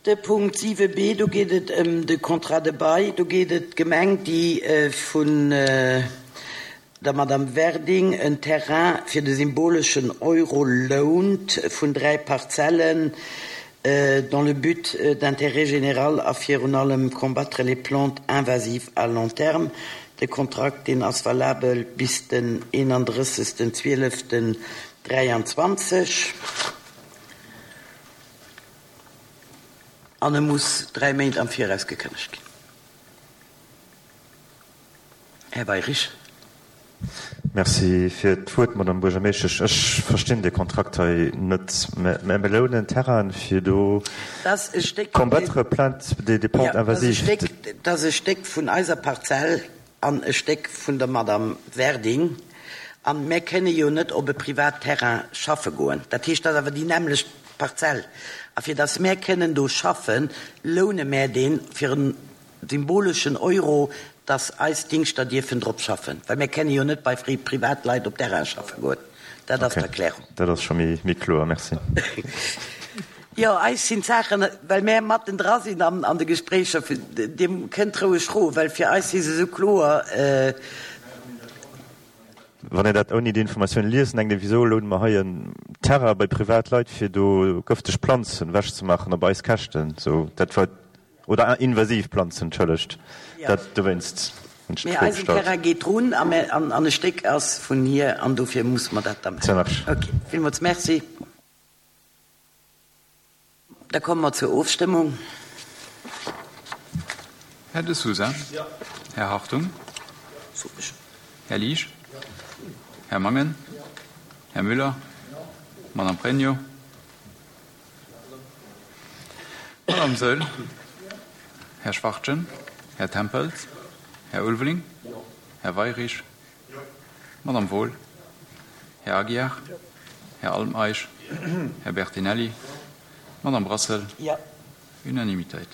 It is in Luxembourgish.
De Punkt 7b, do geet et ëm de Contrat de bail. Do geet et d'Gemeng, déi vun der Madame Werding en Terrain fir de symboleschen Euro lount vun 3 Parzellen dans le but d'intérêt général a virun allem combattre les plantes invasives à long terme. De Kontrakt, deen ass valabel bis den 31. 12. 23. An e muss 3 Méint am Viraus gekënnegt ginn. Här Weyrich. Merci fir d'Wuert, Madame Buergermeeschtesch. Ech verstinn dee Kontrakt hei net. Mä mir lounen Terrainen, fir do combattre plainte des plantes invasives. Dat ass e Stéck vun eiser Parzell an e Stéck vun der Madame Werding. A mär kënne jo net op e privat Terrain schaffe goen. Dat heescht, dat ass awer déi nämmlecht Parzell. A fir datt mär kënnen do schaffen, loune mär deen fir en symboleschen Euro, dass eis Dingschter dierfen drop schaffen, well mir kenne jo net bei Privatleit op Terrain schaffe goen. Dat ass d'Erklärung. Ok, dat ass scho méi kloer. Merci. Jo, eis sinn d'Saachen, well mär matten dra sinn an de Gespréicher, Dir kënnt roueg froen, well fir eis si se esou kloer. Wann een dat ouni déi Informatioun liest, denkt een, Wisou loune mer hei en Terrain bei Privatleit, fir do gëfteg Planzen ewechzemaachen op eis Käschten? Sou, dat war. Oder invasiv Planzen, entschëllegt, dat dowéinst hunn ech d'Fro gestallt. Mee eisen Terrain geet drun an e Stéck ass vun hir an dofir musse mer dat da maachen. Ok, villmools Merci. Da komme mer zur Ofstëmmung. Här De Sousa? Här Hartung? Här Liesch? Här Mangen? Här Müller? Madame Pregno? Madame Saeul, Här Schwachtgen, Här Tempels, Här Ulveling, Här Weyrich, Madame Wohl, Här Aguiar, Här Almeisch, Här Bertinelli, Madame Brassel. Unanimitéit.